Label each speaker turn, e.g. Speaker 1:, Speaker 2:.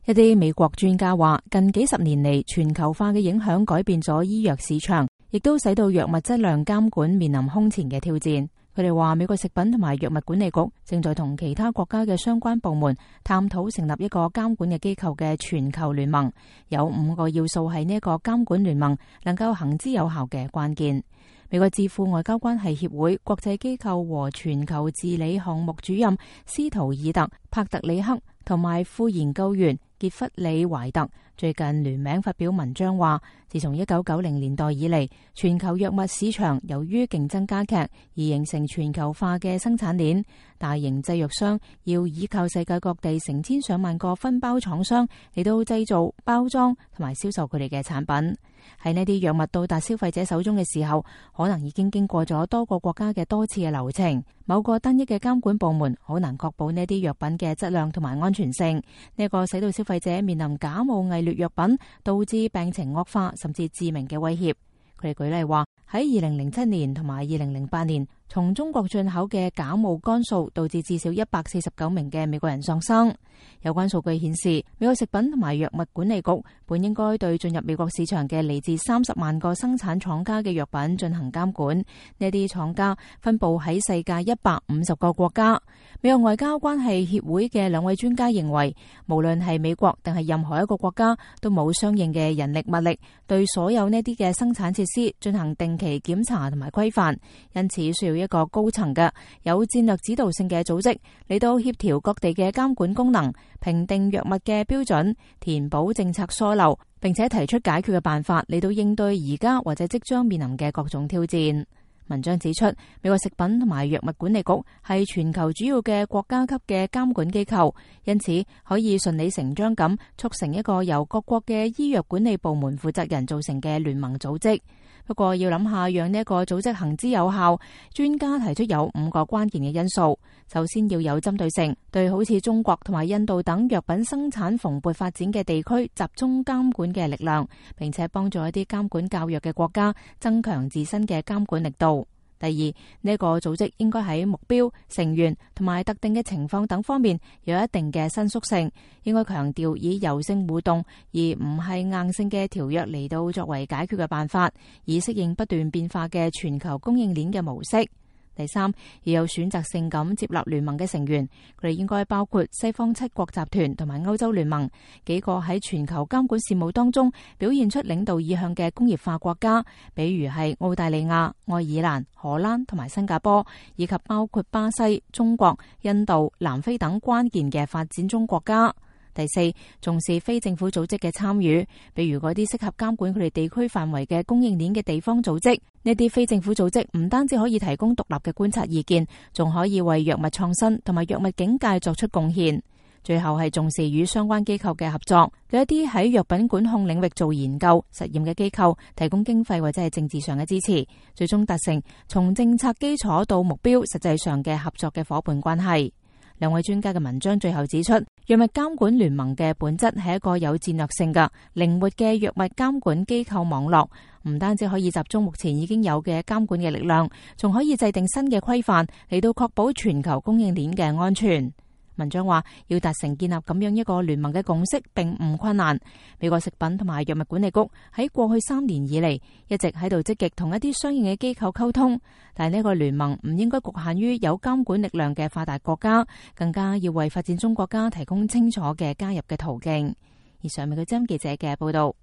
Speaker 1: 一啲美國專家話，近幾十年嚟，全球化嘅影響改變咗醫藥市場，亦都使到藥物質量監管面臨空前嘅挑戰。佢哋話，美國食品同埋藥物管理局正在同其他國家嘅相關部門探討成立一個監管嘅機構嘅全球聯盟。有5個要素係呢一個監管聯盟能夠行之有效嘅關鍵。美國智庫外交關係協會國際機構和全球治理項目主任斯圖爾特·帕特里克同埋副研究員傑弗里·懷特最近聯名發表文章話，自從1990年代以嚟，全球藥物市場由於競爭加劇而形成全球化嘅生產鏈，大型製藥商要依靠世界各地成千上萬個分包廠商嚟到製造、包裝同埋銷售佢哋嘅產品。喺呢啲藥物到達消費者手中嘅時候，可能已經經過咗多個國家嘅多次嘅流程。某個單一嘅監管部門好難確保呢啲藥品嘅質量同埋安全性。呢個使到消費者面臨假冒偽劣藥品，導致病情惡化甚至致命嘅威脅。佢哋舉例話，喺2007年同埋2008年，從中國進口嘅假冒肝素導致至少149名嘅美國人喪生。有關數據顯示，美國食品同埋藥物管理局本應該對進入美國市場嘅嚟自30萬個生產廠家嘅藥品進行監管。呢啲廠家分佈喺世界150個國家。美國外交關係協會嘅2位專家認為，無論係美國定係任何一個國家，都冇相應嘅人力物力對所有呢啲嘅生產設施進行定期檢查同埋規範，因此需要一個高層嘅有戰略指導性嘅組織嚟到協調各地嘅監管功能，評定藥物嘅標準，填補政策疏漏，並且提出解決嘅辦法嚟到應對而家或者即將面臨嘅各種挑戰。文章指出，美國食品同埋藥物管理局係全球主要嘅國家級嘅監管機構，因此可以順理成章咁促成一個由各國嘅醫藥管理部門負責人組成嘅聯盟組織。不過要諗下讓呢一個組織行之有效，專家提出有5個關鍵嘅因素。首先要有針對性，對好似中國同埋印度等藥品生產蓬勃發展嘅地區集中監管嘅力量，並且幫助一啲監管較弱嘅國家增強自身嘅監管力度。第二，呢個組織應該喺目標、成員同埋特定嘅情況等方面有一定嘅伸縮性，應該強調以柔性互動而唔係硬性嘅條約嚟到作為解決嘅辦法，以適應不斷變化嘅全球供應鏈嘅模式。第三，要有選擇性咁接納聯盟嘅成員，佢哋應該包括西方7國集團同埋歐洲聯盟，幾個喺全球監管事務當中表現出領導意向嘅工業化國家，比如係澳大利亞、愛爾蘭、荷蘭同埋新加坡，以及包括巴西、中國、印度、南非等關鍵嘅發展中國家。第四，重視非政府組織嘅參與，比如嗰啲適合監管佢哋地區範圍嘅供應鏈嘅地方組織。呢啲非政府組織唔單止可以提供獨立嘅觀察意見，仲可以為藥物創新同埋藥物警戒作出貢獻。最後係重視與相關機構嘅合作，對一啲喺藥品管控領域做研究、實驗嘅機構提供經費或者係政治上嘅支持，最終達成從政策基礎到目標實際上嘅合作嘅夥伴關係。2位專家嘅文章最後指出，藥物監管聯盟嘅本質係一個有戰略性嘅靈活嘅藥物監管機構網絡，唔單止可以集中目前已經有嘅監管嘅力量，仲可以制定新嘅規範嚟到確保全球供應鏈嘅安全。文章話，要達成建立咁樣一個聯盟嘅共識並唔困難。美國食品同埋藥物管理局喺過去3年以嚟一直喺度積極同一啲相應嘅機構溝通，但係呢個聯盟唔應該局限於有監管力量嘅發達國家，更加要為發展中國家提供清楚嘅加入嘅途徑。以上係美國之音記者嘅報道。